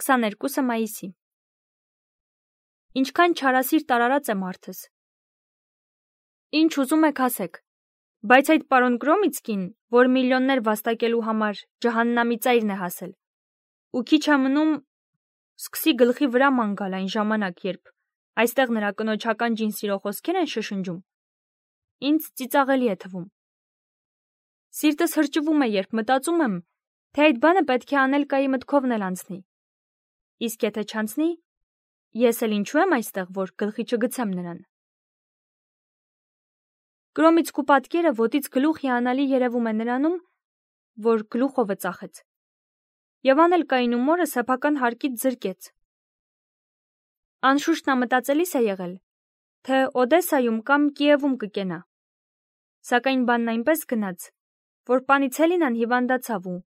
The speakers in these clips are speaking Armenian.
22 մայիսի։ Ինչքան չարասիրտ արարած է մարդս։ Ինչ ուզում եք ասեք, բայց այդ պարոն Գրոմիցկին, որ միլիոններ վաստակելու համար ջահաննամի ծայրն է հասել, ու քիչ է մնում սկսի գլխի վրա ման գալ այն ժամանակ, երբ այստեղ նրա կնոջական ջին սիրո խոսքեր են շշնջում, ինձ ծիծաղելի է թվում։ Սիրտս հրճվում է, երբ մտածում եմ, թե այդ բանը պետք է Անելկայի մտքովն էլ անցնի։ Իսկ եթե չանցնի, ես էլ ինչու եմ այստեղ, որ գլխի չգցեմ նրան։ Գրոմիցկու պատկերը ոտից գլուխ հիանալի երևում է նրանում, որ գլուխովը ծախեց։ Եվ Անելկային ու մորը սեփական հարկից զրկեց։ Անշուշտ նա մտածելիս է եղել, թե Օդեսայում կամ Կիևում կկենա։ Սակայն բանն այնպես գնաց, որ Պանիցելինան հիվանդացավ ու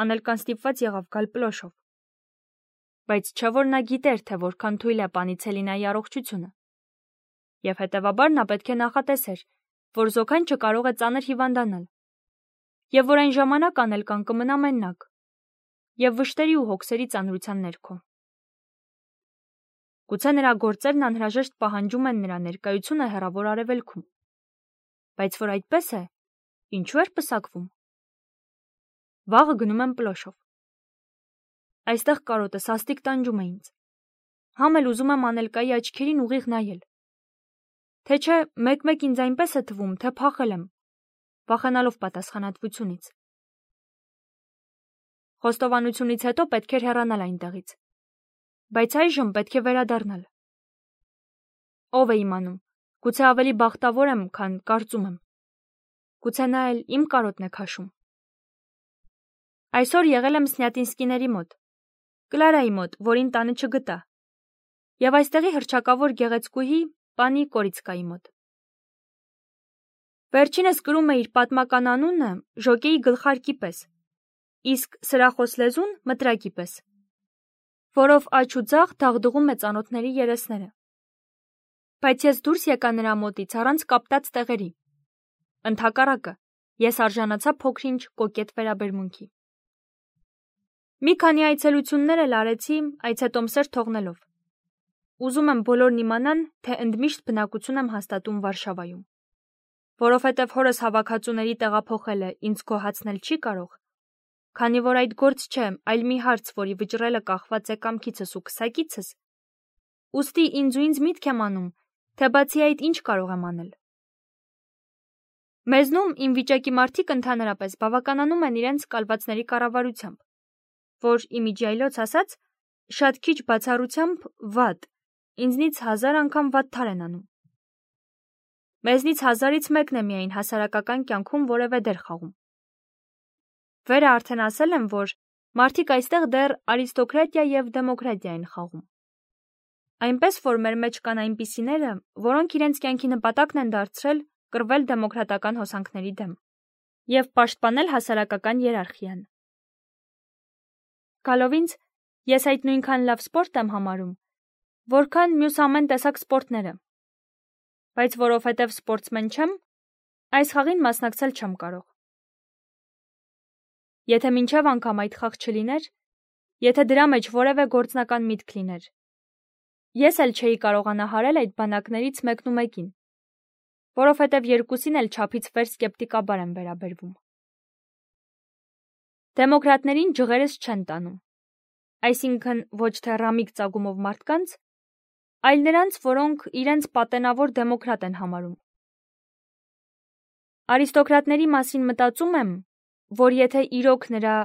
Անելկան ստիպված եղավ գալ Պլոշով։ Բայց չէ որ նա գիտեր, թե որքան թույլ է Պանիցելինայի առողջությունը։ Եվ հետևաբար նա պետք է նախատեսեր, որ զոքանչը կարող է ծանր հիվանդանալ, եւ որ այն ժամանակ Անելկան կմնա մենակ, եւ վշտերի ու հոգսերի ծանրության ներքո։ Գուցե նրա գործերն անհրաժեշտ պահանջում են նրա ներկայությունը հեռավոր արևելքում։ Բայց որ այդպես է, ինչու էր պսակվում։ Վաղը գնում եմ Պլոշով։ Այստեղ կարոտը սաստիկ տանջում է ինձ։ Համ էլ ուզում եմ Անելկայի աչքերին ուղիղ նայել։ Թե չէ, մեկ-մեկ ինձ այնպես է թվում, թե փախել եմ, վախենալով պատասխանատվությունից։ Խոստովանությունից հետո պետք էր հեռանալ այնտեղից։ Բայց այժմ պետք է վերադառնալ։ Ով է իմանում, գուցե ավելի բախտավոր եմ, քան կարծում եմ։ Գուցե նա էլ իմ կարոտն է քաշում։ Այսօր եղել եմ Սնյատինսկիների մոտ, Կլարայի մոտ, որին տանը չգտա, եւ այստեղի հռչակավոր գեղեցկուհի պանի Կորիցկայի մոտ։ Վերջինս կրում է իր պատմական անունը ժոկեի գլխարկի պես, իսկ սրախոս լեզուն մտրակի պես, որով աջ ու ձախ դաղդղում է ծանոթների երեսները։ Բայց ես դուրս եկա նրա մոտից առանց կապտած տեղերի։ Ընդհակառակը, ես արժանացա փոքրինչ կոկետ վերաբերմունքի։ Մի քանի այցելություններ էլ արեցի այցետոմսեր թողնելով։ Ուզում եմ բոլորն իմանան, թե ընդմիշտ բնակություն եմ հաստատում Վարշավայում։ Որովհետև հորս հավաքածուների տեղափոխելը ինձ գոհացնել չի կարող, քանի որ այդ գործ չէ, այլ մի հարց, որի վճռելը կախված է կամքիցս ու քսակիցս, ուստի ինձ միտք եմ անում, թե բացի այդ ինչ կարող եմ անել։ Մեզնում իմ վիճակի մարդիկ ընդհանրապես բավականանում են իրենց կալվածների կառավարությամբ, որ իմիջիայլոց ասած, շատ քիչ բացառությամբ վատ, ինձնից 1000 անգամ վատթար են անում։ Մեզնից 1000-ից մեկն է միայն հասարակական կյանքում որևէ դեր խաղում։ Վերը արդեն ասել եմ, որ մարդիկ այստեղ դեռ արիստոկրատիա եւ դեմոկրատիա են խաղում։ Այնպես որ մեր մեջ կան այնպիսիները, որոնք իրենց կյանքի նպատակն են դարձրել կռվել դեմոկրատական հոսանքների դեմ եւ պաշտպանել հասարակական իերարխիան։ Գալով ինձ, ես այդ նույնքան լավ սպորտ եմ համարում, որքան մյուս ամեն տեսակ սպորտները։ Բայց որովհետև սպորտսմեն չեմ, այս խաղին մասնակցել չեմ կարող։ Եթե մինչև անգամ այդ խաղ չլիներ, եթե դրա մեջ որևէ գործնական միտք լիներ, ես էլ չէի կարողանա հարել այդ բանակներից մեկն ու մեկին, որովհետև երկուսին էլ չափից վեր սկեպտիկաբար եմ վերաբերվում։ Դեմոկրատներին ջղերս չեն տանում, այսինքն ոչ թե ռամիկ ծագումով մարդկանց, այլ նրանց, որոնք իրենց պատենավոր դեմոկրատ են համարում։ Արիստոկրատների մասին մտածում եմ, որ եթե իրոք նրա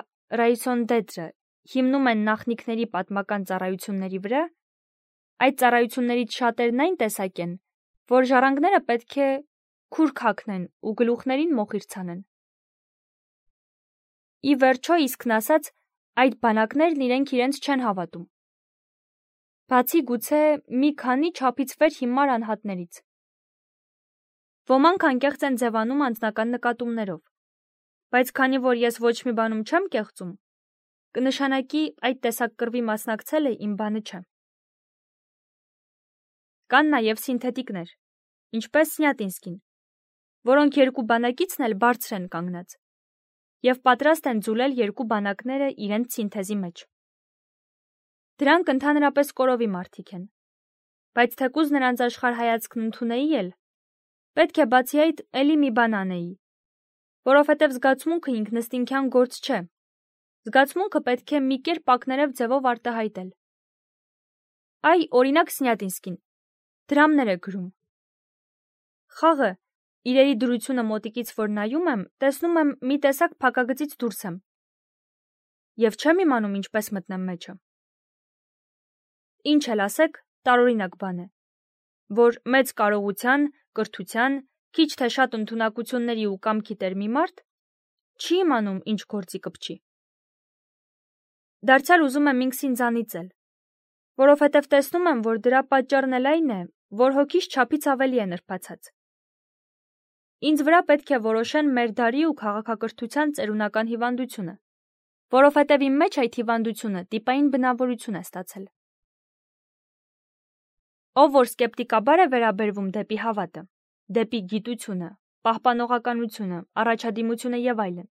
Ռայսոն դետրը հիմնում են նախնիկների պատմական ծառայությունների վրա, այդ ծառայություններից շատերն այն տեսակ են, որ ժառանգները պետք է քուր քաքնեն ու գլուխներին մոխիր ցանեն։ Ի վերջո, իսկն ասած, այդ բանակներն իրենց չեն հավատում։ Բացի գուցե մի քանի չափից վեր հիմար անհատներից։ Ոմանք անկեղծ են ձևանում անձնական նկատումներով, բայց քանի որ ես ոչ մի բանում չեմ կեղծում, կնշանակի այդ տեսակ կռվի մասնակցելը իմ բանը չէ։ Կան նաև սինթետիկներ, ինչպես Սնյատինսկին, որոնք երկու բանակիցն էլ բարձր են կանգնած եւ պատրաստ են ձուլել երկու բանակները իրենց սինթեզի մեջ։ Դրանք ընդհանրապես կորովի մարդիկ են, բայց թեկուզ նրանց աշխարհ հայացքն ընդունեի էլ, պետք է բացի այդ էլի մի բան անեի, որովհետև զգացմունքը ինքնըստինքյան գործ չէ, զգացմունքը պետք է մի կերպ ակներև ձևով արտահայտել։ Այ, օրինակ Սնյատինսկին, դրամներ է գրում։ Խաղը, իրերի դրությունը մոտիկից որ նայում եմ, տեսնում եմ մի տեսակ փակագծից դուրս եմ։ Եվ չեմ իմանում ինչպես մտնեմ մեջը։ Ինչ էլ ասեք, տարօրինակ բան է, որ մեծ կարողության, կրթության, քիչ թե շատ ընդունակությունների ու կամքի տեր մի մարդ չի իմանում ինչ գործի կպչի։ Դարձյալ ուզում եմ ինքս ինձանից էլ, որովհետև տեսնում եմ, որ դրա պատճառն էլ այն է, որ հոգիս չափից ավելի է նրբացած։ Ինձ վրա պետք է որոշեն մեր դարի ու քաղաքակրթության ծերունական հիվանդությունը, որովհետև իմ մեջ այդ հիվանդությունը տիպային բնավորություն է ստացել։ Ով որ սկեպտիկաբար է վերաբերվում դեպի հավատը, դեպի գիտությունը, պահպանողականությունը, առաջադիմությունը եւ այլն,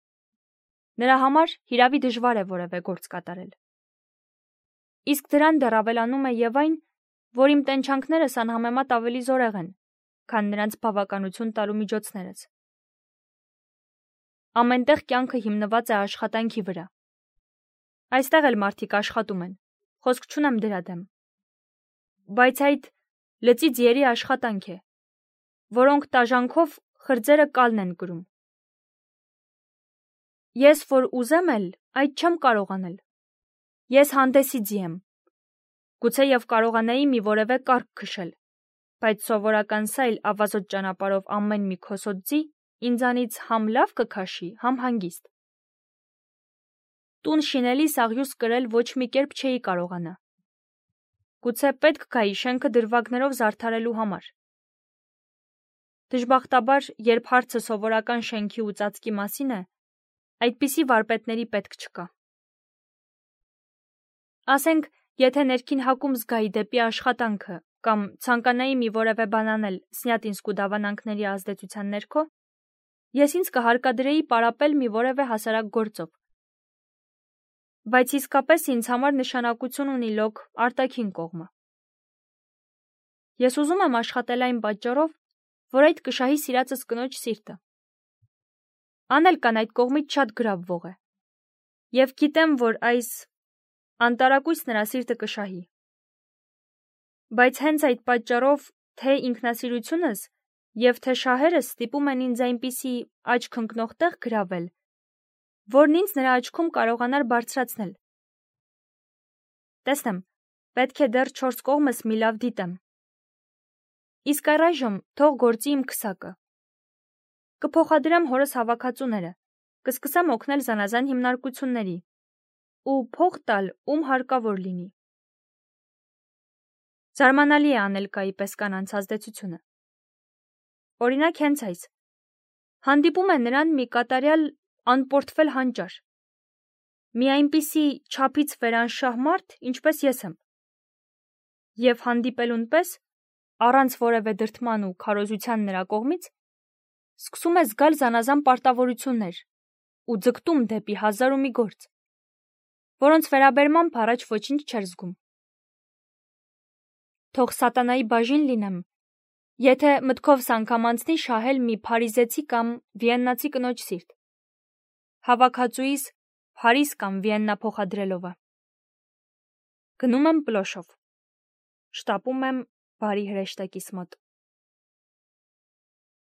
նրա համար հիրավի դժվար է որևէ գործ կատարել։ Իսկ դրան դեռ ավելանում է եւ այն, որ իմ տենչանքներս անհամեմատ ավելի զորեղ են, քան նրանց բավականություն տալու միջոցներս։ Ամենտեղ կյանքը հիմնված է աշխատանքի վրա։ Այստեղ էլ մարդիկ աշխատում են, խոսք չունեմ դրա դեմ։ Բայց այդ լծի ձիերի աշխատանք է, որոնք տաժանքով խրձերը կալն են կրում։ Ես որ ուզեմ էլ, այդ չեմ կարող անել։ Ես հանդեսի ձի եմ։ Գուցե եւ կարողանայի մի որևէ կարգ քշել, բայց սովորական սայլ ավազոտ ճանապարհով ամեն մի քոսոտ ձի ինձանից համ լավ կքաշի, համ հանգիստ։ Տուն շինելիս աղյուս կրել ոչ մի կերպ չէի կարողանա։ Գուցե պետք գայի շենքը դրվագներով զարդարելու համար։ Դժբախտաբար, երբ հարցը սովորական շենքի ու ծածկի մասին է, այդպիսի վարպետների պետք չկա։ Ասենք, եթե ներքին հակում զգայի դեպի աշխատանքը կամ ցանկանայի մի որևէ բան անել Սնյատինսկու դավանանքների ազդեցության ներքո, ես ինձ կհարկադրեի պարապել մի որևէ հասարակ գործով։ Բայց իսկապես ինձ համար նշանակություն ունի լոկ արտաքին կողմը։ Ես ուզում եմ աշխատել այն պատճառով, որ այդ կշահի սիրածս կնոջ սիրտը։ Անել կան այդ կողմից շատ գրավվող է։ Եվ գիտեմ, որ այս անտարակույս նրա սիրտը կշահի։ Բայց հենց այդ պատճառով թե ինքնասիրությունս եւ թե շահերս ստիպում են ինձ այնպիսի աչք ընկնող տեղ գրավել, որն ինձ նրա աչքում կարողանար բարձրացնել։ Տեսնեմ, պետք է դեռ 4 կողմս մի լավ դիտեմ։ Իսկ առայժմ թող գործի իմ քսակը։ Կփոխադրեմ հորս հավաքածուները, կսկսեմ օգնել զանազան հիմնարկությունների ու փող տալ, ում հարկավոր լինի։ Զարմանալի է Անելկայի պես կանանց ազդեցությունը։ Օրինակ հենց այս։ Հանդիպում է նրան մի կատարյալ անպորտֆել հանճար։ Մի այնպիսի չափից վերանշահ մարդ, ինչպես ես եմ։ Եվ հանդիպելուն պես, առանց որևէ դրդման ու քարոզության նրա կողմից, սկսում է զգալ զանազան պարտավորություններ ու ձգտում դեպի հազար ու մի գործ, որոնց վերաբերմամբ առաջ ոչինչ չէր զգում։ Թող սատանայի բաժին լինեմ, եթե մտքովս անգամ անցնի շահել մի փարիզեցի կամ վիեննացի կնոջ սիրտ, հավաքածուիս Փարիզ կամ Վիեննա փոխադրելովը։ Գնում եմ պլոշով, շտապում եմ բարի հրեշտակիս մոտ։